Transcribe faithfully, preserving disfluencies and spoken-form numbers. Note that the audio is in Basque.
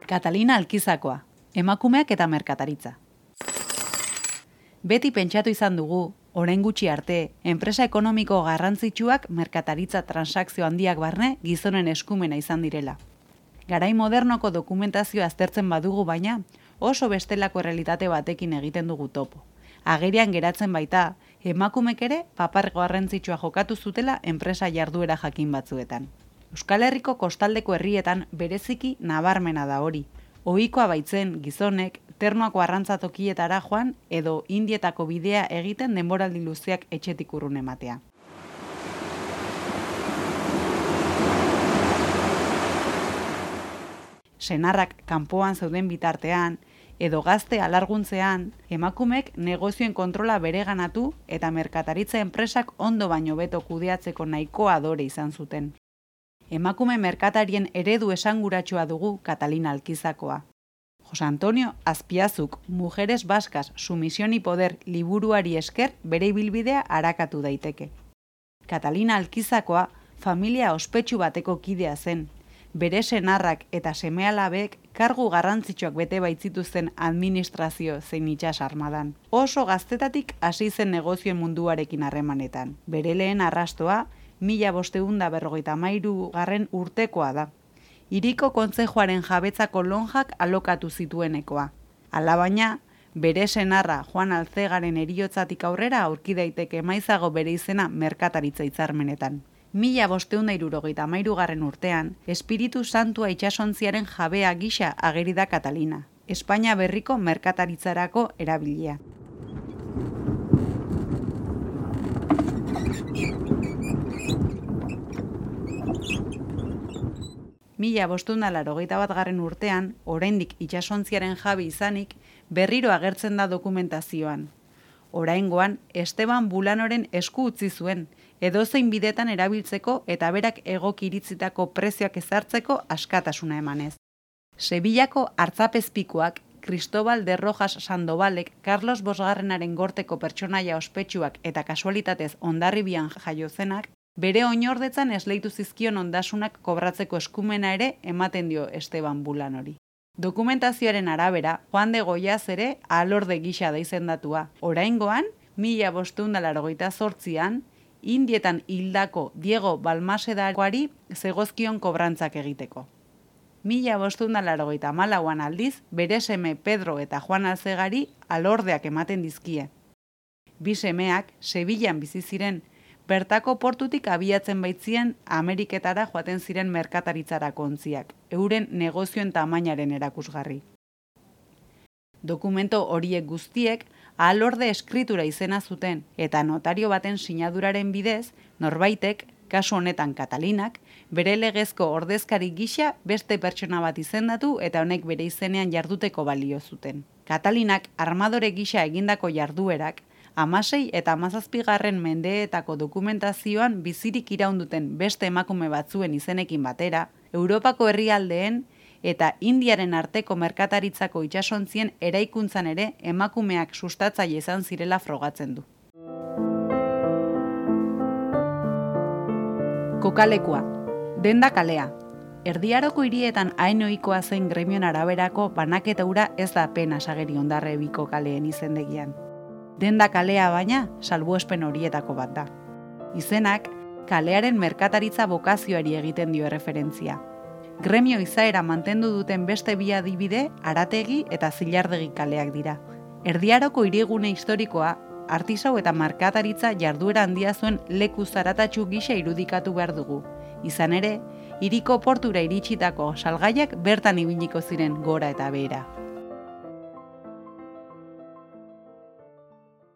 Catalina Alkizakoa, emakumeak eta merkataritza. Beti pentsatu izan dugu, orain gutxi arte, enpresa ekonomiko garrantzitsuak merkataritza transakzio handiak barne gizonen eskumena izan direla. Garai modernoko dokumentazioa aztertzen badugu baina, oso bestelako errealitate batekin egiten dugu topo. Agerian geratzen baita, emakumek ere papar garrantzitsua jokatu zutela enpresa jarduera jakin batzuetan. Euskal Herriko kostaldeko herrietan bereziki nabarmena da hori. Ohikoa baitzen gizonek ternuako arrantzatokietara joan edo Indietako bidea egiten denboraldi luzeak etxetik urrun ematea. Senarrak kanpoan zeuden bitartean edo gazte alarguntzean, emakumek negozioen kontrola bereganatu eta merkataritza enpresak ondo baino beto kudeatzeko nahikoa adore izan zuten. Emakume merkatarien eredu esanguratsua dugu Catalina Alkizakoa. Jose Antonio Azpiazuk Mujeres Vascas, Sumisión y Poder liburuari esker bere ibilbidea arakatu daiteke. Catalina Alkizakoa familia ospetsu bateko kidea zen. Bere senarrak eta seme-alabek kargu garrantzitsuak bete baitzituzten administrazio zein itsas armadan. Oso gaztetatik hasi zen negozioen munduarekin harremanetan. Bere lehen arrastoa mila bostehun eta berrogeita hamairu garren urtekoa da. Hiriko kontzejuaren jabetzako lonjak alokatu zituenekoa. Alabaina, bere senarra Juan Alzegaren heriotzatik aurrera aurki daiteke maizago bere izena merkataritza hitzarmenetan. Mila bostehun eta hirurogeita hamairu garren urtean, Espiritu Santua itsasontziaren jabea gisa ageri da Catalina, Espainia berriko merkataritzarako erabilia. Mila bostehun eta laurogeita bat garren urtean, oraindik itsasontziaren jabe izanik, berriro agertzen da dokumentazioan. Oraingoan, Esteban Bulanoren esku utzi zuen, edozein bidetan erabiltzeko eta berak egoki iritzitako prezioak ezartzeko askatasuna emanez. Sevillako artzapezpikuak, Cristobal de Rojas Sandovalek, Carlos Bosgarrenaren gorteko pertsonaia ospetsuak eta kasualitatez Hondarribian jaio zenak, bere oinordetzan esleitu zizkion ondasunak kobratzeko eskumena ere ematen dio Esteban Bulanori. Dokumentazioaren arabera, Juan de Goiaz ere alorde gisa da izendatua. Oraingoan, mila bostehun eta laurogeita zortzian, Indietan hildako Diego Balmasedakoari zegozkion kobrantzak egiteko. Mila bostehun eta laurogeita hamalauan aldiz, bere seme Pedro eta Juan Alzegari alordeak ematen dizkie. Bi semeak Sevillan bizi ziren, bertako portutik abiatzen baitzien Ameriketara joaten ziren merkataritzarako ontziak, euren negozioen tamainaren erakusgarri. Dokumento horiek guztiek alorde eskritura izena zuten eta notario baten sinaduraren bidez, norbaitek, kasu honetan Catalinak, bere legezko ordezkari gisa beste pertsona bat izendatu eta honek bere izenean jarduteko balio zuten. Catalinak armadore gisa egindako jarduerak, hamasei eta hamazazpigarren mendeetako dokumentazioan bizirik iraunduten beste emakume batzuen izenekin batera, Europako herrialdeen eta Indiaren arteko merkataritzako itsasontzien eraikuntzan ere emakumeak sustatzaile izan zirela frogatzen du. Kokalekua, denda kalea. Erdiaroko hirietan hain ohikoa zein gremion araberako banaketa hura ez da apenas ageri Hondarribiko kaleen izendegian. Denda kalea baina salbuespen horietako bat da. Izenak, kalearen merkataritza bokazioari egiten dio erreferentzia. Gremio izaera mantendu duten beste bi adibide Arategi eta Zilardegi kaleak dira. Erdiaroko hirigune historikoa, artisau eta merkataritza jarduera handia zuen leku zaratatsu gisa irudikatu behar dugu. Izan ere, hiriko portura iritsitako salgaiak bertan ibiliko ziren gora eta behera.